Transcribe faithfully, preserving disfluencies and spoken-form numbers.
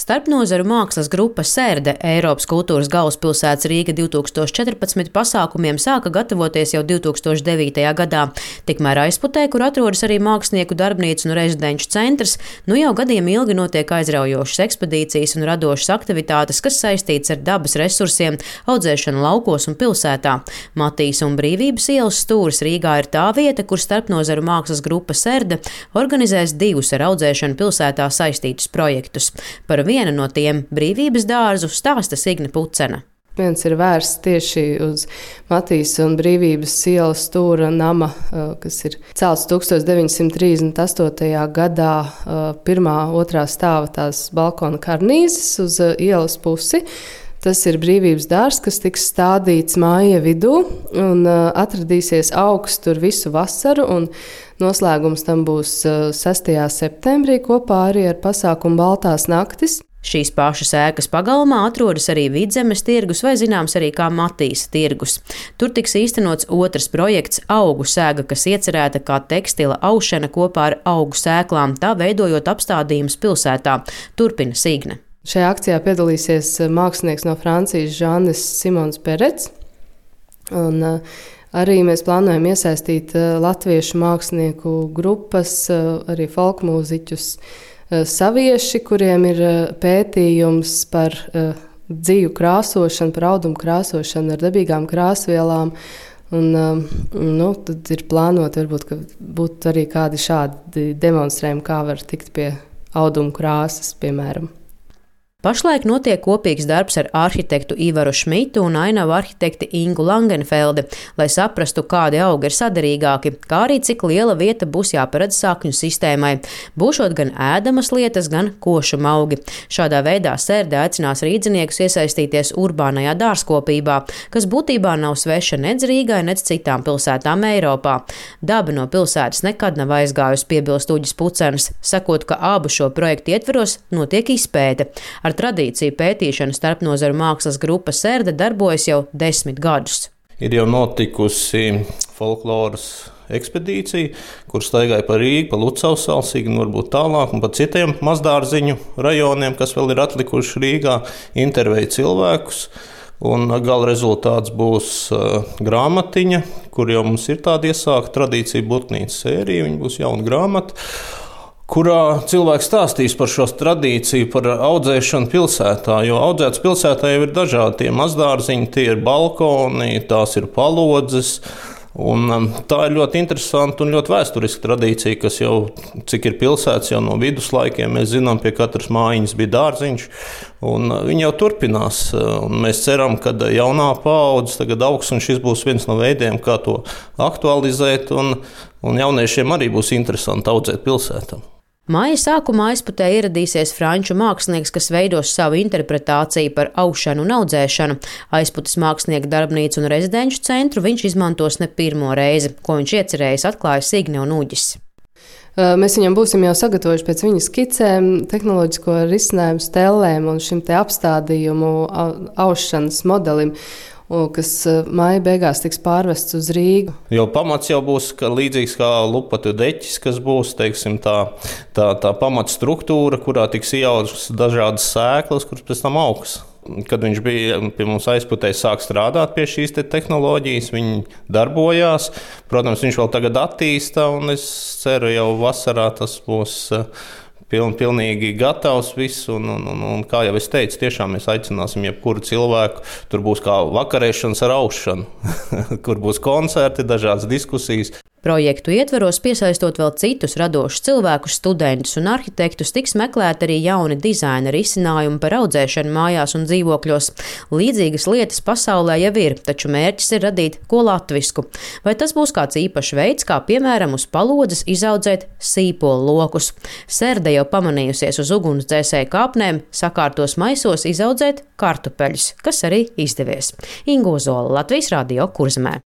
Starpnozaru mākslas grupa Serde Eiropas kultūras galvaspilsētas Rīga divi tūkstoši četrpadsmit pasākumiem sāka gatavoties jau divi tūkstoši devītajā gadā. Tikmēr Aizputē, kur atrodas arī mākslinieku darbnīca un rezidenču centrs, nu jau gadiem ilgi notiek aizraujošas ekspedīcijas un radošas aktivitātes, kas saistīts ar dabas resursiem, audzēšanu laukos un pilsētā. Matīs un Brīvības ielas stūris Rīgā ir tā vieta, kur Starpnozaru mākslas grupa Serde organizēs divus ar audzēšanu pilsētā saistītus projektus. Par vienu no tiem Brīvības dārzu stāsta Signe Pucena. Viens ir vērsts tieši uz Matīs un Brīvības ielas stūra nama, kas ir celts tūkstoš deviņsimt trīsdesmit astotajā gadā, pirmā, otrā stāva tās balkona karnīzes uz ielas pusi. Tas ir Brīvības dārzs, kas tiks stādīts māja vidū un atradīsies augsts tur visu vasaru, un noslēgums tam būs sestajā septembrī kopā arī ar pasākumu Baltās naktis. Šīs pašas ēkas pagalmā atrodas arī Vidzemes tirgus vai zināms arī kā Matīsa tirgus. Tur tiks īstenots otrs projekts Augu sēga, kas iecerēta kā tekstila aušana kopā ar augu sēklām, tā veidojot apstādījumus pilsētā. Turpina Signe. Šajā akcijā piedalīsies mākslinieks no Francijas Žanis Simons Perets. Un, uh, arī mēs plānojam iesaistīt uh, latviešu mākslinieku grupas, uh, arī folkmūziķus, uh, savieši, kuriem ir uh, pētījums par uh, dzīvu krāsošanu, par audumu krāsošanu ar dabīgām krāsvielām. Un, uh, nu, tad ir plānot, varbūt, ka būtu arī kādi šādi demonstrējumi, kā var tikt pie audumu krāsas, piemēram. Pašlaik notiek kopīgs darbs ar arhitektu Ivaru Šmitu un ainavu arhitekti Ingu Langenfeldi, lai saprastu, kādi augi ir saderīgāki, kā arī cik liela vieta būs jāparedz sakņu sistēmai. Būšot gan ēdamas lietas, gan košuma augi. Šādā veidā Serde aicinās rīdziniekus iesaistīties urbānajā dārzkopībā, kas būtībā nav sveša nec Rīgai, nec citām pilsētām Eiropā. Daba no pilsētas nekad nav aizgājusi, piebilst Uģis Pucenis, sakot, ka abu šo projektu ietveros notiek izpēte. Ar tradīciju pētīšana Starpnozaru mākslas grupa Serde darbojas jau desmit gadus. Ir jau notikusi folkloras ekspedīcija, kur staigāja pa Rīgu, pa Lucavas salu, Signi varbūt tālāk un pa citiem mazdārziņu rajoniem, kas vēl ir atlikuši Rīgā, intervēja cilvēkus. Un gala rezultāts būs uh, grāmatiņa, kur jau mums ir tāda iesākta tradīcija Burknīcas sērija, viņa būs jauna grāmata, kurā cilvēks stāstīs par šo tradīciju, par audzēšanu pilsētā. Jo audzētas pilsētā jau ir dažādi tie mazdārziņi, tie ir balkoni, tās ir palodzes. Un, um, tā ir ļoti interesanta un ļoti vēsturiska tradīcija, kas jau, cik ir pilsētas, jau no viduslaikiem, mēs zinām, pie katras mājiņas bija dārziņš. Un, uh, viņi jau turpinās. Un mēs ceram, ka jaunā paudze tagad augs, un šis būs viens no veidiem, kā to aktualizēt. Un, un jauniešiem arī būs interesanti audzēt pilsētā. Māja sākumā Aizputē ieradīsies franču mākslinieks, kas veidos savu interpretāciju par aušanu un audzēšanu. Aizputes mākslinieku darbnīcu un rezidenču centru viņš izmantos ne pirmo reizi, ko viņš iecerējis, atklāja Signe un Uģis. Mēs viņam būsim jau sagatavojuši pēc viņa skicēm, tehnoloģisko risinājumu stellēm un šim te apstādījumu aušanas modelim, kas māja beigās tiks pārvests uz Rīgu. Jo pamats jau būs ka līdzīgs kā lupatu deķis, kas būs, teiksim, tā, tā, tā pamatstruktūra, kurā tiks ieaudzes dažādas sēklas, kuras pēc tam augs. Kad viņš bija pie mums Aizputē, sāk strādāt pie šīs te tehnoloģijas, viņi darbojās. Protams, viņš vēl tagad attīsta, un es ceru, jau vasarā tas būs Piln, pilnīgi gatavs viss, un, un, un, un kā jau es teicu, tiešām mēs aicināsim jebkuru cilvēku. Tur būs kā vakarēšanas ar aušanu, kur būs koncerti, dažādas diskusijas. Projektu ietveros, piesaistot vēl citus radošus cilvēkus, studentus un arhitektus, tiks meklēti arī jauni dizaina risinājumi par audzēšanu mājās un dzīvokļos. Līdzīgas lietas pasaulē jau ir, taču mērķis ir radīt ko latvisku. Vai tas būs kāds īpašs veids, kā piemēram uz palodzes izaudzēt sīpolu lokus? Serde jau pamanījusies uz ugunsdzēsēju kāpnēm, sakārtos maisos izaudzēt kartupeļus, kas arī izdevies. Inga Ozola, Latvijas Radio, Kurzemē.